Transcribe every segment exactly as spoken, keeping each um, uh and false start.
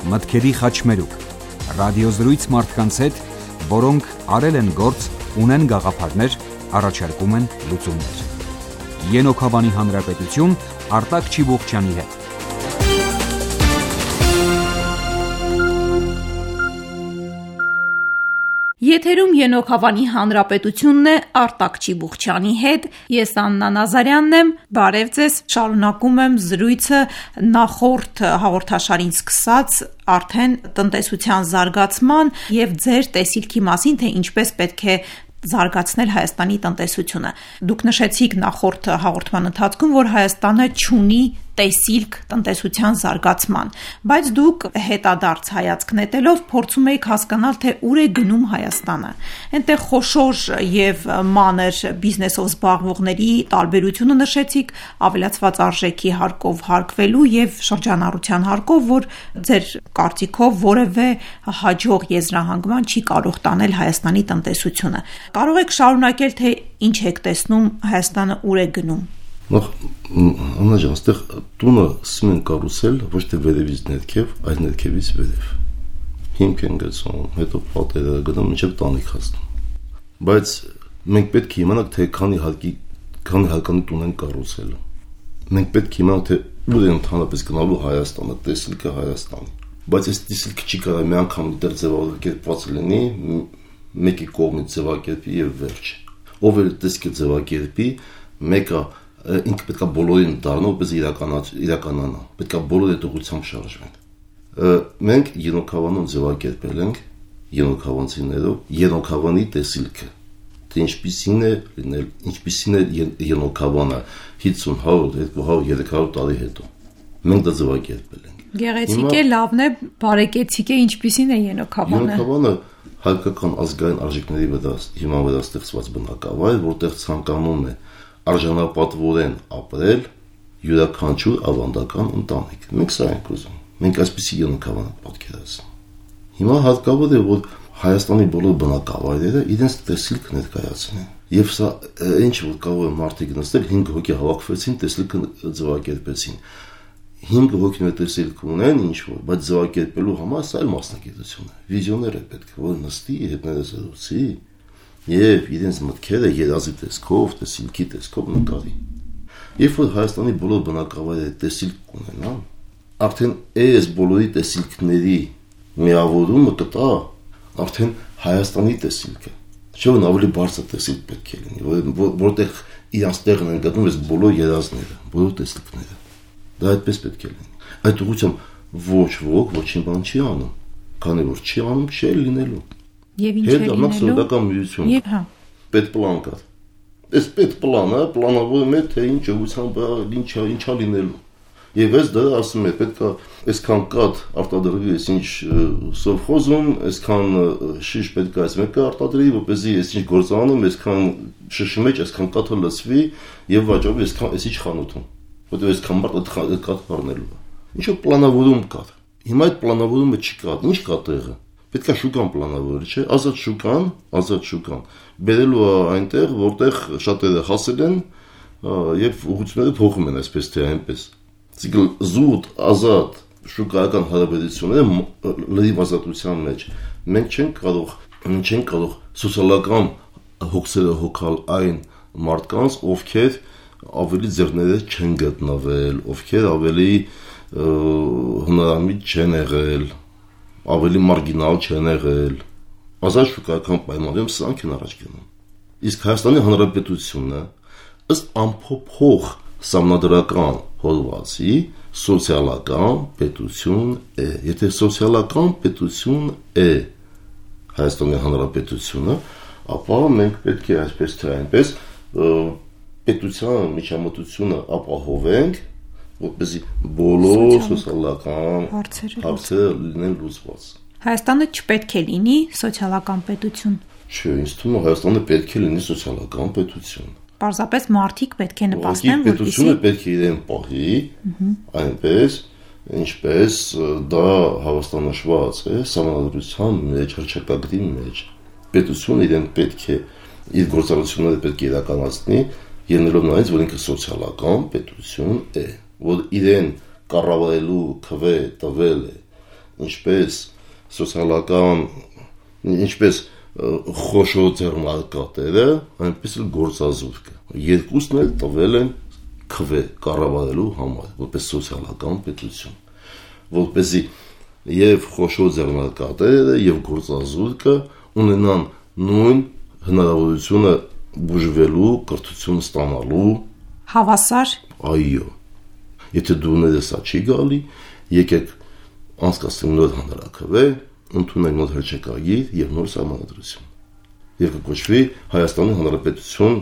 մտքերի խաչմերուկ, ռադիոզրույց մարդկանց հետ, որոնք արել են գործ, ունեն գաղափարներ, առաջարկում են լուծումներ։ Ենոք Հավանի Հանրապետություն Արտակ Չիբուխչյանի հետ։ Եթերում Ենոք Հավանի Հանրապետությունն է, Արտակ Չիբուխչյանի հետ, ես Աննա Նազարյանն եմ, բարև ձեզ, շարունակում եմ զրույցը նախորդ հաղորդաշարին սկսած արդեն տնտեսության զարգացման և ձեր տեսիլքի մասին, թե ինչպես պետք է զարգացնել Հայաստանի տնտեսությունը։ Դուք նշեցիք նախորդ հաղորդման ընթացքում, որ Հայաստանը չունի տեսիլք տնտեսության զարգացման, բայց դուք հետադարձ հայացք նետելով փորձում եք հասկանալ, թե ուր է գնում Հայաստանը։ Այնտեղ խոշոր և մանր բիզնեսով զբաղվողների տարբերությունը նշեցիք, ավելացված արժեքի հարկով հարկվելու և շրջանառության հարկով, որ ձեր կարծիքով որևէ հաջող եզրահանգման չի կարող տանել Հայաստանի տնտեսությունը։ Կարող եք շարունակել, թե ինչ եք տեսնում Հայաստանը ուր է գնում։ Նախ Աննա ջան, այստեղ տունը սկսում են կառուցել ոչ թե վերևից ներքև, այլ ներքևից վերև։ Հիմք են գցում, հետո պատերը գնում, մինչև տանիք հասնում։ Բայց մենք պետք է իմանանք, թե քանի հարկի, քանի հարկանի տուն են կառուցել։ Մենք պետք է իմանանք, թե ուր է ընդհանրապես գնալու Հայաստանը, տեսիլքը Հայաստանի։ Բայց այս տեսիլքը չի կարող մի անգամ դեռ ձևակերպված լինի, մեկի կողմից ձևակերպի եւ վերջ։ Ով էլ տեսիլքը ձևակերպի, մեկը ինքը պետք է բոլորին դառնա, որպես իրականանա, պետք է բոլոր այդ ուղղությամբ շարժվեն։ Մենք Ենոք Հավանում ձևակերպել ենք ենոքավանցիներով Ենոք Հավանի տեսիլքը, թե ինչպիսին է լինել, ինչպիսին է Ենոք Հավանը հինգ հարյուր, երկու հարյուր, երեք հարյուր տարի հետո։ Մենք դա ձևակերպել ենք։ Գեղեցիկ է, լավն է, բարեկեցիկ է, ինչպիսին է Ենոք Հավանը։ Ենոք Հավանը հայկական ազգային արժեքների վրա հիման վրա ստեղծված բնակավայր, որտեղ ցանկանում է արժանապատվորեն ապրել յուրաքանչյուր ավանդական ընտանիք։ Մենք սա ենք ուզում։ Մենք այսպիսի Ենոք Հավան պատկերացնում։ Հիմա հարկավոր է, որ Հայաստանի բոլոր բնակավայրերը իրենց տեսիլք ներկայացնեն։ Եվ սա ինչ որ կարող է մարդիկ նստել, հինգ հոգի հավաքվեցին, տեսիլքը ձևակերպեցին։ հինգ հոգիներ տեսիլք ունեն ինչ որ, բայց ձևակերպելու համար սա էլ մասնագիտություն է։ Վիզիոներ է պետք, որ նստի, հետները զրուցի և իրենց մտքերը երազի տեսքով, տեսիլքի տեսքով նկարի։ Երբ որ Հայաստանի բոլոր բնակավայրերը տեսիլք ունենան, արդեն այս բոլորի տեսիլքների միավորումը կտա արդեն Հայաստանի տեսիլքը։ Չէ՞ որ ավելի բարձր տեսիլք պետք է լինի, որտեղ իրանց տեղն են գտնում այս բոլոր երազները, բոլոր տեսիլքները։ Դա այդպես պետք է լինի։ Այդ ուղղությամբ ոչ ոք ոչինչ բան չի անում, քանի որ չի անում, չի լինելու։ Եվ ինչ է լինելու։ Սոցիալական միություն։ Եվ հա։ Պետպլան կա։ Այս պետպլանը պլանավորում է, թե ինչ ուղղությամբ ինչա ինչա լինելու։ Եվ այս դա ասում է, պետք է այսքան կաթ արտադրվի, այսինչ սովխոզում, այսքան շիշ պետք է այս մեկը արտադրի, որպեսզի այսինչ գործանում, այսքան շշի մեջ, այսքան կաթը լցվի եւ վաճառվի այսքան այսինչ խանութում։ Որտեղ այսքան մարդ այդ կաթ առնելու է։ Ինչու պլանավորում կա։ Հիմա այդ պլանավորումը չկա։ Ինչ կա տեղը։ Պետք է շուկան պլանավորել, չէ՞, ազատ շուկան, ազատ շուկան։ Բերելու է այնտեղ, որտեղ շատերը հասել են եւ ուղղությունները փոխում են այսպես թե այնպես։ Ցիկլ զուտ ազատ շուկայական հարաբերությունները լրիվ ազատության մեջ։ Մենք չենք կարող, չենք կարող սոցիալական հոգսերը հոգալ այն մարդկանց, ովքեր ավելի ձեռները չեն գտնվել, ովքեր ավելի հնարամիտ չեն եղել, ավելի մարգինալ չեն եղել։ Ազատ շուկայական պայմաններում սրանք են առաջ գնում։ Իսկ Հայաստանի Հանրապետությունը ըստ ամփոփող սահմանադրական հոդվածի սոցիալական պետություն է։ Եթե սոցիալական պետություն է Հայաստանի Հանրապետությունը, ապա մենք պետք է այսպես թե այնպես պետության միջամտությունը ապահովենք, որպեսզի բոլոր սոցիալական հարցերը լինեն լուծված։ Հայաստանը չպետք է լինի սոցիալական պետություն։ Չէ, ինձ թվում է Հայաստանը պետք է լինի սոցիալական պետություն։ Պարզապես մարդիկ պետք է նպաստեն, որպեսզի պետությունը պետք է իրեն պահի, այնպես, ինչպես դա հավաստանշված է սահմանադրության մեջ, հռչակագրի մեջ։ Պետությունը իրեն պետք է իր գործառույթները պետք է իրականացնի, ելնելով նրանից, որ ինքը սոցիալական պետություն է, որ իրեն կառավարելու քվե տվել է ինչպես սոցիալական, ինչպես խոշոր ձեռնարկատերը, այնպես էլ գործազուրկը։ Երկուսն էլ տվել են քվե կառավարելու համար, որպես սոցիալական պետություն, որպեսզի եւ խոշոր ձեռնարկատերը եւ գործազուրկը ունենան նույն հնարավորությունը բուժվելու, կրթություն ստանալու հավասար։ Այո։ Եթե դուները սա չի գալի, եկեք անցկացնենք նոր հանրաքվե, ընդունենք նոր հռչակագիր եւ նոր սահմանադրություն։ Եվ կոչվի Հայաստանի Հանրապետություն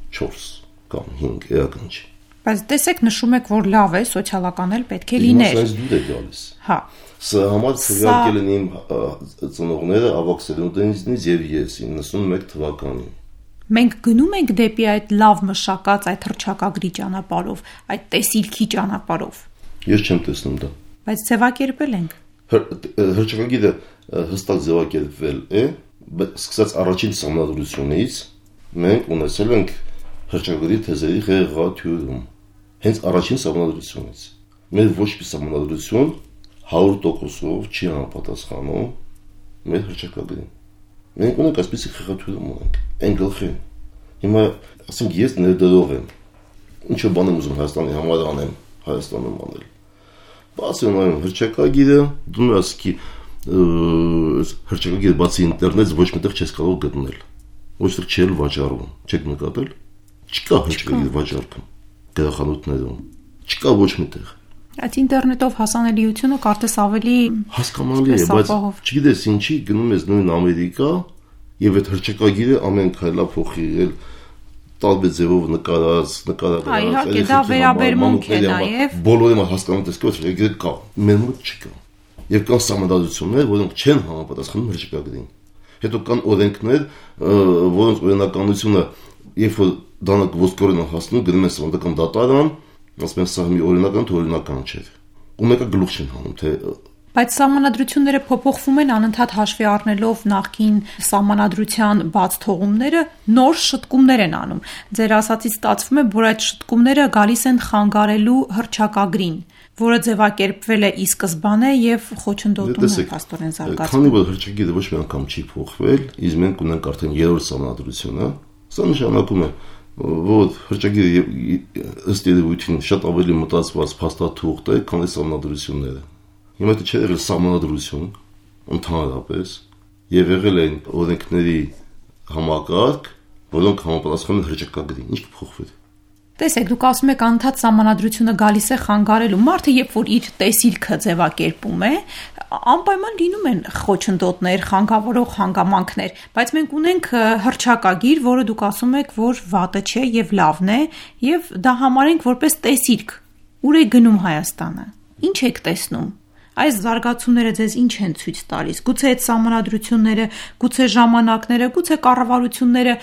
չորս կամ հինգ էականջի։ Բայց տեսեք, նշում եք, որ լավ է, սոցիալական էլ պետք է լիներ։ Ինձ դուր է գալիս։ Հա։ Սա համար քվեարկել են իմ ծնողները ավագ սերունդենիցնից եւ ես իննսունմեկ թվականին։ Մենք գնում ենք դեպի այդ լավ մշակած այդ հռչակագրի ճանապարհով, այդ տեսիլքի ճանապարհով։ Ես չեմ տեսնում դա։ Բայց ձևակերպել ենք։ Հռչակագիրը հստակ ձևակերպվել է, սկսած առաջին սահմանադրությունից մենք ունեցել ենք հռչակագրի թեզերի խեղաթյուրում։ Հենց առաջին սահմանադրությունից։ Մեր ոչ մի սահմանադրություն հարյուր տոկոսով չի համապատասխանում մեր հռչակագրին։ Մենք ունենք այսպիսի խեղաթյուրում ունենք, այն գլխին։ Հիմա ասենք ես ներդրող եմ, ինչ որ բան եմ ուզում Հայաստանի համար անեմ, Հայաստանում անել։ Բացի ունեմ հռչակագիրը, դու ասքի հռչակագիրը բացի ինտերնետից ոչ միտեղ չես կարող գտնել։ Ոչ թե չել վաճառվում, չեք նկատել։ Չկա հռչակագիր վաճառքում գրախանութներում։ Չկա ոչ միտեղ։ Այդ ինտերնետով հասանելիությունը կարծես ավելի հասկանալի է, բայց չգիտես ինչի գնում ես նույն Ամերիկա եւ այդ հռչակագիրը ամեն քայլա փոխել տարբեր ձևով նկարած, նկարած։ Այո, իհարկե դա վերաբերմունք է նաեւ։ Բոլորը հասկանում տեսք որ հռչակագիրը կա, մեր մոտ չկա։ Եվ կան սահմանադրություններ, որոնք չեն համապատասխանում հռչակագրին։ Հետո կան օրենքներ, որոնց օրենականությունը, երբ որ դանակ ոսկորեն հասնում, գնում են սահմանադրական դատարան, ասում են սա մի օրինական թե օրինական չէ։ Ու մեկը գլուխ չեն հանում, թե Բայց սահմանադրությունները փոփոխվում են անընդհատ հաշվի առնելով նախկին սահմանադրության բաց թողումները, նոր շտկումներ են անում։ Ձեր ասածից ստացվում է, որ այդ շտկումները գալիս են խանգարելու հռչակագրին, որը ձևակերպվել է ի սկզբանե եւ խոչընդոտում է փաստորեն զարգացում։ Քանի որ հռչակագիրը ոչ մի անգամ չի փոխվել, իսկ մենք ունենք արդեն երրորդ սահմանադրությունը, սա նշանակում է, որ հռչակագիրը ըստ երևույթին շատ ավելի մտածված փաստաթուղթ է, քան սահմանադրությունները։ Հիմա դա չէ եղել սահմանադրություն, ընդհանրապես, եւ եղել են օրենքների համակարգ, որոնք համապատասխանում են հռչակագրին, ինչ կփոխվի։ Տեսեք, դուք ասում եք անդադ սահմանադրությունը գալիս է խանգարելու։ Մարդը, երբ որ իր տեսիլքը ձևակերպում է, անպայման լինում են խոչընդոտներ, խանգավորող հանգամանքներ, բայց մենք ունենք հռչակագիր, որը դուք ասում եք, որ վատը չէ եւ լավն է, եւ դա համարենք որպես տեսիլք։ Ուր է գնում Հայաստանը։ Ինչ եք տեսնում։ Այս զարգացումները ձեզ ինչ են ցույց տալիս։ Գուցե այդ սահմանադրությունները, գուցե ժամանակները, գուցե կառավարությունները,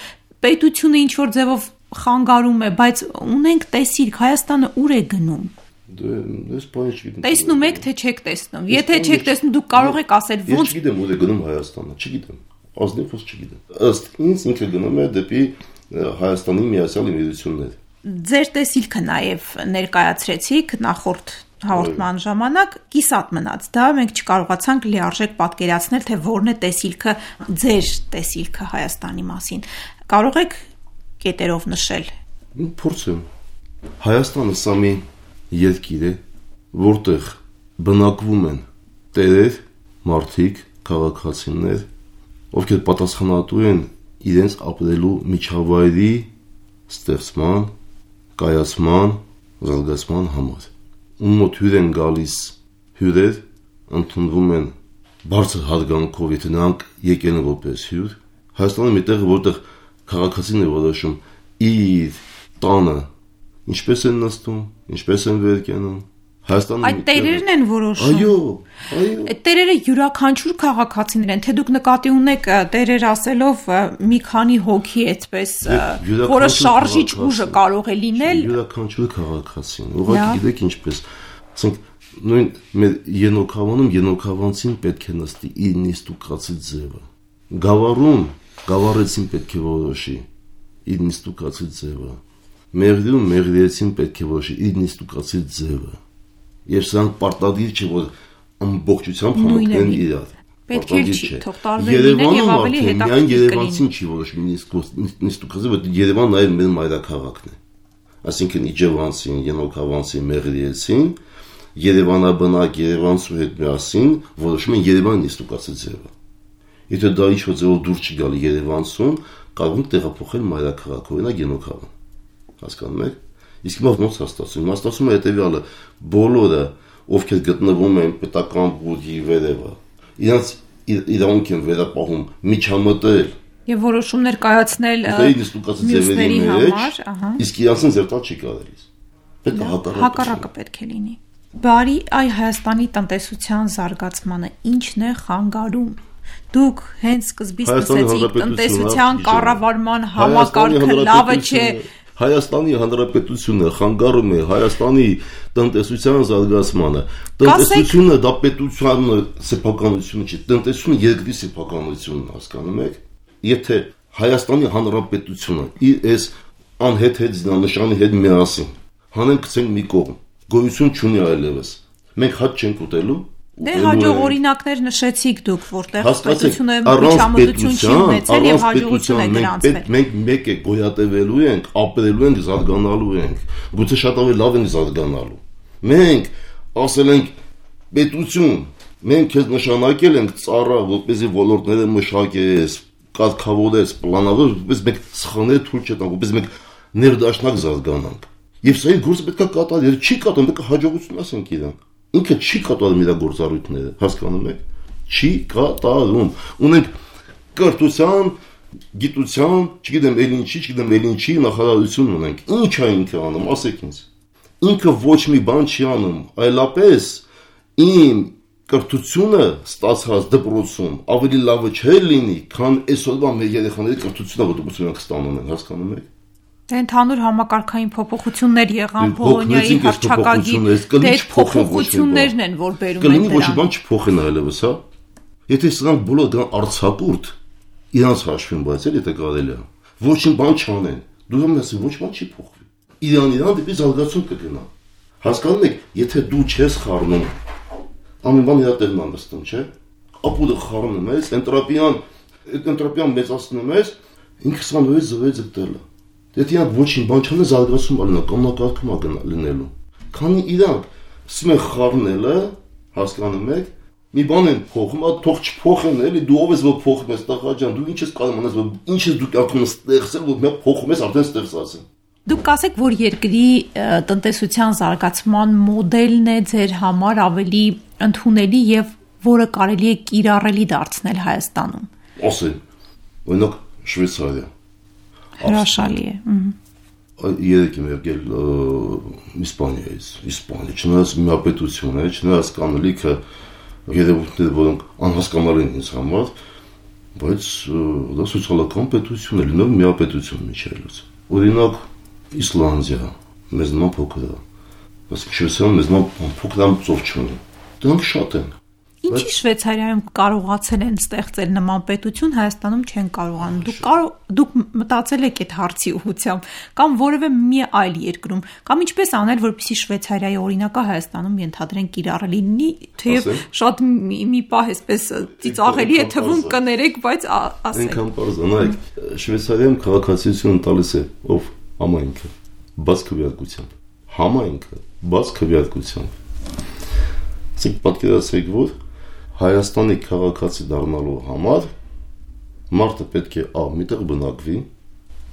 պետությունը ինչ որ ձևով խանգարում է, բայց ունենք տեսիլք, Հայաստանը ուր է գնում։ Դες բանը չգիտեմ։ Տեսնում եք, թե չեք տեսնում։ Եթե չեք տեսնում, դուք կարող եք ասել ոնց։ Ես չգիտեմ ուր է գնում Հայաստանը, չգիտեմ։ Ազնիվ ո՞ս չգիտեմ։ Ըստ ինձ ինքը գնում է դեպի Հայաստանի Միացյալ Էմիրություններ։ Ձեր տեսիլքը նաև ներկայացրեցիք նախորդ հաղորդման ժամանակ, կիսատ մնաց դա, մենք չկարողացանք լիարժեք պատկերացնել, թե որն է տեսիլքը, ձեր տեսիլքը Հայաստանի մասին։ Կարող եք կետերով նշել։ Փորձեմ։ Հայաստանը սա մի երկիր է, որտեղ բնակվում են տերեր, մարդիկ, քաղաքացիներ, ովքեր պատասխանատու են իրենց ապրելու միջավայրի ստեղծման, կայացման, զարգացման համար։ Ում մոտ հյուր են գալիս հյուրեր, ընդունվում են բարձր հարգանքով, եթե նրանք եկել են որպես հյուր։ Հայաստանը մի տեղ, որտեղ քաղաքացին է որոշում իր տանը ինչպես են նստում, ինչպես են վեր կենում։ Հայաստանը այդ տերերն են որոշում։ Այո, այո։ Այդ տերերը յուրաքանչյուր քաղաքացիներ են, թե դուք նկատի ունեք տերեր ասելով մի քանի հոգի այդպես, որը շարժիչ ուժը կարող է լինել։ Յուրաքանչյուր քաղաքացին, ուղղակի գիտեք ինչպես, ասենք նույն մեր Ենոքավանում Ենոքավանցին պետք է նստի իր նիստուկացի ձևը։ Գավառում գավառեցին պետք է որոշի իր նիստուկացի ձևը։ Մեղրիում մեղրիեցին պետք է որոշի իր նիստուկացի ձևը։ Եվ սրանք պարտադիր չէ, որ ամբողջությամբ համընկնեն իրար։ Պետք է չի թող տարբեր լինեն եւ ավելի հետաքրքիր կլինի։ Երևանն չի որոշում նիստուկազը, բայց Երևանն այլ մեր մայրաքաղաքն է։ Այսինքն իջևանցին, ենոքավանցին, մեղրիեցին, Երևանաբնակ Երևանցու հետ միասին որոշում են Երևանի նիստուկացի ձևը։ Եթե դա ինչ-որ ձևով դուրս չգալի Երևանցուն, կարող են տեղափոխել մայրաքաղաք, օրինակ Ենոքավան։ Հասկանում եք։ Իսկ մոտ ոնց է ստացվում։ Ստացվում է հետեւյալը, բոլորը, ովքեր գտնվում են պետական բուդի վերևը, իրանց իրավունք են վերապահում միջամտել եւ որոշումներ կայացնել մյուսների համար, ահա։ Իսկ իրանցին զերտալ չի կարելի։ Պետք է հակառակը։ Հակառակը պետք է լինի։ Բարի այ Հայաստանի տնտեսության զարգացմանը ի՞նչն է խանգարում։ Դուք հենց սկզբից ասացիք տնտեսության կառավարման համակարգը լավը չէ։ Հայաստանի Հանրապետությունը խանգարում է Հայաստանի տնտեսության զարգացմանը։ Տնտեսությունը դա պետության սեփականությունը չի, տնտեսությունը երկրի սեփականությունն է, հասկանում եք։ Եթե Հայաստանի Հանրապետությունը իր այս անհեթեթ զինանշանի հետ միասին հանենք գցենք մի կողմ, գոյություն չունի այլևս։ Մենք հաճ չենք ուտելու։ Դե հաջող օրինակներ նշեցիք դուք, որտեղ պետությունը միջամտություն չի ունեցել եւ հաջողություն է գրանցվել։ Մենք մեկ է գոյատևելու ենք, ապրելու ենք, զարգանալու ենք, գուցե շատ ավելի լավ ենք զարգանալու։ Մենք ասել ենք պետություն, մենք քեզ նշանակել ենք ծառա, որպեսզի ոլորտները մշակես, կարգավորես, պլանավորես, որպես մենք սխալներ թույլ չտանք, որպես մենք ներդաշնակ զարգանանք։ Եվ սա գործը պետք է կատարել, եթե չի կատարում, պետք է հաջողություն ասենք իրան։ Ինքը չի կատարում իր գործառույթները, հասկանում եք։ Չի կատարում։ Ունենք կրթության, գիտության, չգիտեմ ել ինչի, չգիտեմ ել ինչի նախարարություն ունենք։ Ինչ է ինքը անում, ասեք ինձ։ Ինքը ոչ մի բան չի անում, այլապես իմ կրթությունը ստացած դպրոցում ավելի լավը չէ լինի, քան այսօրվա մեր երեխաների կրթությունը, որ դպրոցում ստանում են, հասկանում եք։ Դե ընդհանուր համակարգային փոփոխություններ եղան Բոլոնիայի հռչակագի, դե փոփոխություններն են, որ բերում են դրան։ Կլինի ոչ մի բան չփոխեն այլևս, հա։ Եթե սրանք բոլորը գան արձակուրդ, իրանց հաշվին բայց էլ եթե կարելի է, ոչինչ բան չանեն, դու համ ասես ոչ բան չի փոխվի։ Իրան իրան դեպի զարգացում կգնա։ Հասկանում եք, եթե դու չես խառնում, ամեն բան իր տեղն է նստում, չէ՞։ Ապուդը խառնում ես, էնտրոպիան, այդ էնտրոպիան մեծացնում ես, ինքը սանվեց զվեց դելը։ Եթե իրանք ոչինչ բան չանեն, զարգացում ալնա, կամնակարգում է լինելու։ Քանի իրանք սկսում են խառնելը, հասկանում եք, մի բան են փոխում, թող չփոխեն, էլի դու ով ես որ փոխում ես, տղա ջան, դու ինչ ես կարող անես, ինչ ես դու կարող ես ստեղծել, որ մենք փոխում ես արդեն ստեղծած են։ Դուք կասեք, որ երկրի տնտեսության զարգացման մոդելն է ձեր համար ավելի ընդունելի եւ որը կարելի է կիրառելի դարձնել Հայաստանում։ Ասեն, օրինակ Շվեյցարիա։ Հրաշալի է։ Երեք եմ եկել Իսպանիայից, Իսպանիա, չնայած միապետություն է, չնայած կան լիքը երևույթներ, որոնք անհասկանալի են ինձ համար, բայց դա սոցիալական պետություն է, լինում միապետություն միջելուց։ Օրինակ Իսլանդիա, մեզ նման փոքր է, բայց Շվեյցարիան մեզ նման փոքր է, ծով չունի։ Դրանք շատ են։ Ինչի Շվեյցարիայում կարողացել են ստեղծել նման պետություն, Հայաստանում չեն կարողանում։ Դուք կարող դուք մտածել եք այդ հարցի ուղղությամբ, կամ որևէ մի այլ երկրում, կամ ինչպես անել, որպեսզի Շվեյցարիայի օրինակը Հայաստանում ենթադրեն կիրառելի լինի, թեև շատ մի պահ էսպես ծիծաղելի է թվում, կներեք, բայց ասեք։ Այնքան պարզ է, նայեք, Շվեյցարիայում քաղաքացիություն տալիս է ով համայնքը, բաց քվեարկությամբ։ Համայնքը բաց քվեարկությամբ։ Իսկ պատկերացրեք, որ Հայաստանի քաղաքացի դառնալու համար մարդը պետք է ա միտեղ բնակվի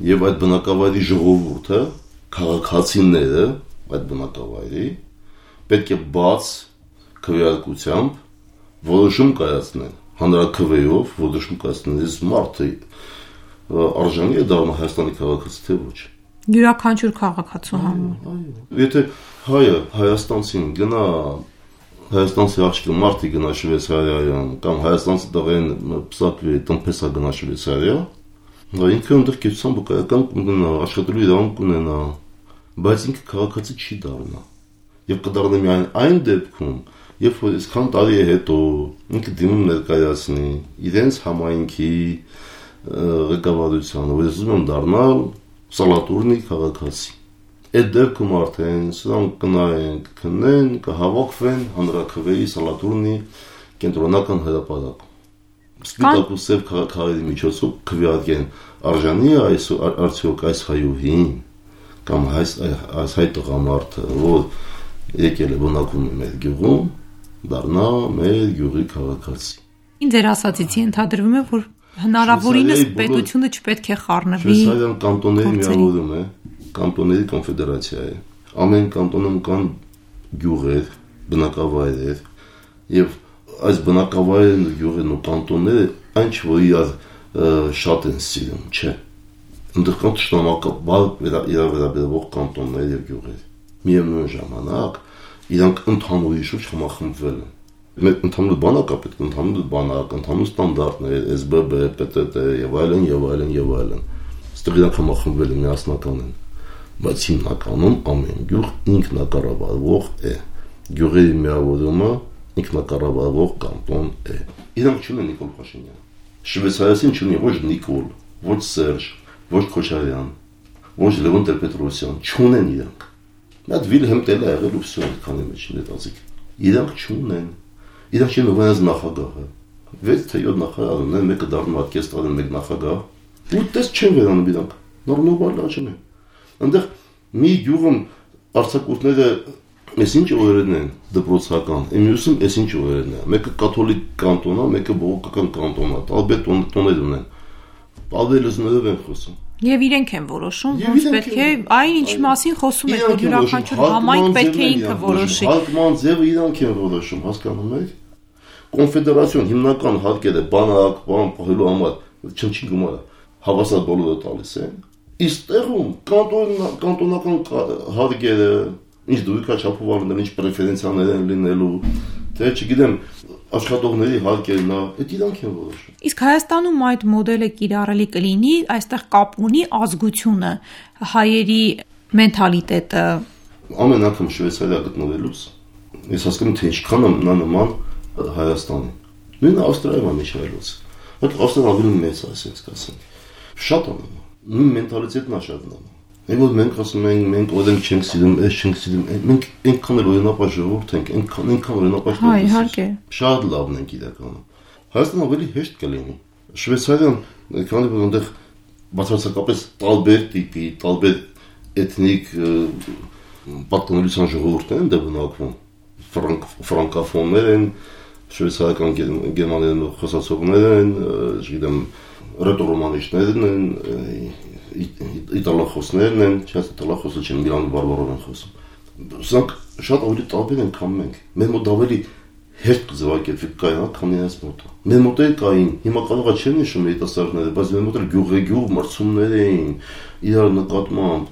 եւ այդ բնակավայրի ժողովուրդը, քաղաքացիները այդ բնակավայրի պետք է բաց քվեարկությամբ որոշում կայացնեն, հանրաքվեով որոշում կայացնեն, այս մարդը արժանի է դառնալ Հայաստանի քաղաքացի թե ոչ։ Յուրաքանչյուր քաղաքացու համար։ Այո։ Եթե հայը հայաստանցին գնա Հայաստանցի աղջիկը մարդի գնա Շվեյցարիայում կամ հայաստանցի տղեն պսակվի տնտեսա գնա Շվեյցարիա, դա ինքը ընդդեմ կեցության բկայական կունենա, աշխատելու իրավունք կունենա, բայց ինքը քաղաքացի չի դառնա։ Եվ կդառնա միայն այն դեպքում, երբ որ այսքան տարի է հետո ինքը դիմում ներկայացնի իրենց համայնքի ղեկավարությանը, որ ուզում են դառնալ սալատուրնի քաղաքացի։ Այդ դեպքում արդեն սրանք կնայեն, կքննեն, կհավաքվեն հանրաքվեի Սալատուրնի կենտրոնական հրապարակում։ Սպիտակ ու սև քաղաքների միջոցով քվեարկեն արժանի այս արդյոք այս հայուհին կամ այս այս հայ տղամարդը, որ եկել է բնակվում է մեր գյուղում, դառնա մեր գյուղի քաղաքացի։ Ինչ ձեր ասացիցի ընդհանրվում է, որ հնարավորինս պետությունը չպետք է խառնվի։ Շվեյցարիան կանտոնների միավորում է, կանտոնների կոնֆեդերացիա է։ Ամեն կանտոնում կան գյուղեր, բնակավայրեր, եւ այս բնակավայրերն ու գյուղերն ու կանտոնները այն չէ, որ իրար շատ են սիրում, չէ։ Այնտեղ կան ճշտամակաբար վերաբերվող կանտոններ եւ գյուղեր։ Միևնույն ժամանակ իրանք ընդհանուր շուրջ համախմբվել են։ Մեր ընդհանուր բանակը պետք է ընդհանուր բանակ, ընդհանուր ստանդարտներ, S B B, P T T եւ այլն եւ այլն եւ այլն։ Այստեղ իրանք համախմբվել են, միասնական են։ Բայց հիմնականում ամեն գյուղ ինքնակառավարվող է։ Գյուղերի միավորումը ինքնակառավարվող կանտոն է։ Իրանք չունեն Նիկոլ Փաշինյան։ Շվեյցարիացին չունի ոչ Նիկոլ, ոչ Սերժ, ոչ Քոչարյան, ոչ Լևոն Տեր-Պետրոսյան, չունեն իրանք։ Նա Վիլհեմ Տելը եղել ու վсё քանի մեջ դետացիկ։ Իրանք չունեն։ Իրանք չեն ունենալ նախագահը։ վեց թե յոթ նախագահ ունեն, մեկը դառնում արտկեստարն մեկ նախագահ։ Ու տես չեն վերանում իրանք։ Նորմալ լաչն է։ Այնտեղ մի գյուղում արձակուրդները Ես ինչ օրերն են դպրոցական, մյուսում ես ինչ օրերն է։ Մեկը կաթոլիկ կանտոն է, մեկը բողոքական կանտոն է։ Տարբեր տոներ ունեն։ Տարբեր լեզուներով են խոսում։ Եվ իրենք են որոշում, ոնց պետք է, այն ինչ մասին խոսում եք, որ յուրաքանչյուր համայնք պետք է ինքը որոշի։ Հարկման ձևը իրանք են որոշում, հասկանում եք։ Կոնֆեդերացիոն հիմնական հարկերը բանակ, բան պահելու համար չնչին գումարը հավասար բոլորը տալիս են։ Իսկ տեղում կանտոնական հարկերը ինչ դույքա չափով առնել, ինչ պրեֆերենցիաներ են լինելու, թե չգիտեմ, աշխատողների հարկերն է, այդ իրանք են որոշում։ Իսկ Հայաստանում այդ մոդելը կիրառելի կլինի, այստեղ կապ ունի ազգությունը, հայերի մենթալիտետը։ Ամեն անգամ Շվեյցարիա գտնվելուց ես հասկանում թե ինչքան է նա նման Հայաստանին։ Նույնը Ավստրիայում է միջայլոց։ Բայց Ավստրիան ավելի մեծ է, ասենք ասենք։ Շատ է նման։ Նույն մենթալիտետն է շատ նման։ Այն որ մենք ասում ենք, մենք օրենք չենք սիրում, այս չենք սիրում, մենք այնքան էլ օրինապաշ ժողովուրդ ենք, այնքան այնքան օրինապաշ Հա, իհարկե։ Շատ լավն ենք իրականում։ Հայաստանը ավելի հեշտ կլինի։ Շվեյցարիան, քանի որ այնտեղ բացարձակապես տարբեր տիպի, տարբեր էթնիկ պատկանելիության ժողովուրդներ են դե բնակվում։ Ֆրանկոֆոններ են, շվեյցարական գերմաներեն խոսացողներ են, չգիտեմ, ռետորոմանիչներն են, իտալախոսներն են, չես իտալախոսը չեն, Միլան բարբարով են խոսում։ Սրանք շատ ավելի տարբեր են, քան մենք։ Մեր մոտ ավելի հեշտ կզվակերպվի կային, քան իրենց մոտ։ Մեր մոտ էլ կային, հիմա կարող է չեն նշում երիտասարդները, բայց մեր մոտ էլ գյուղեգյուղ մրցումներ էին, իրար նկատմամբ,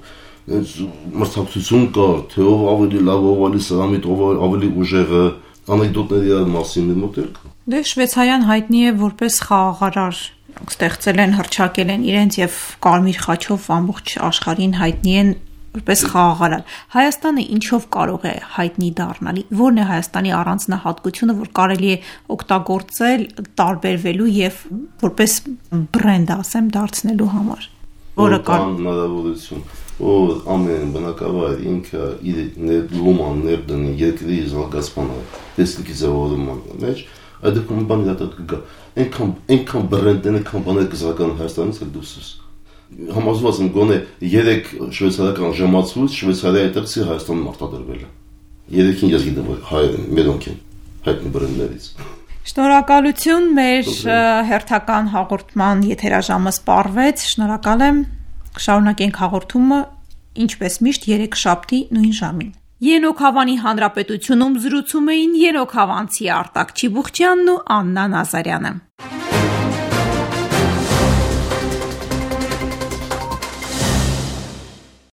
մրցակցություն կար, թե ով ավելի լավ, ով ավելի սրամիտ, ով ավելի ուժեղը, անեկդոտների իրար մասին մեր մոտ էլ կա։ Դե Շվեյցարիան հայտնի է որպես խաղաղարար, ստեղծել են, հռչակել են իրենց եւ կարմիր խաչով ամբողջ աշխարհին հայտնի են որպես խաղաղարար։ Հայաստանը ինչով կարող է հայտնի դառնալ։ Որն է Հայաստանի առանձնահատկությունը, որ կարելի է օգտագործել, տարբերվելու եւ որպես բրենդ, ասեմ, դարձնելու համար։ Որը կան հնարավորություն, որ ամեն բնակավայր ինքը իր լոման ներդնի երկրի զարգացմանը, տեսլիքի ձևավորման մեջ, այդ դեպքում բան դա կգա։ Այնքան այնքան բրենդներ, այնքան բաներ կզարգանան Հայաստանից էլ դուրս։ Համոզված եմ գոնե երեք շվեյցարական ժամացույց Շվեյցարիայի տեքսի Հայաստանում արտադրվել է։ Երեքին ես գիտեմ որ հայեր են, մերոնք են հայտնի բրենդներից։ Շնորհակալություն, մեր հերթական հաղորդման եթերաժամը սպառվեց։ Շնորհակալ եմ։ Կշարունակենք հաղորդումը ինչպես միշտ երեքշաբթի նույն ժամին։ Ենոք Հավանի Հանրապետությունում զրուցում էին Ենոք Հավանցի Արտակ Չիբուխչյանն ու Աննա Նազարյանը։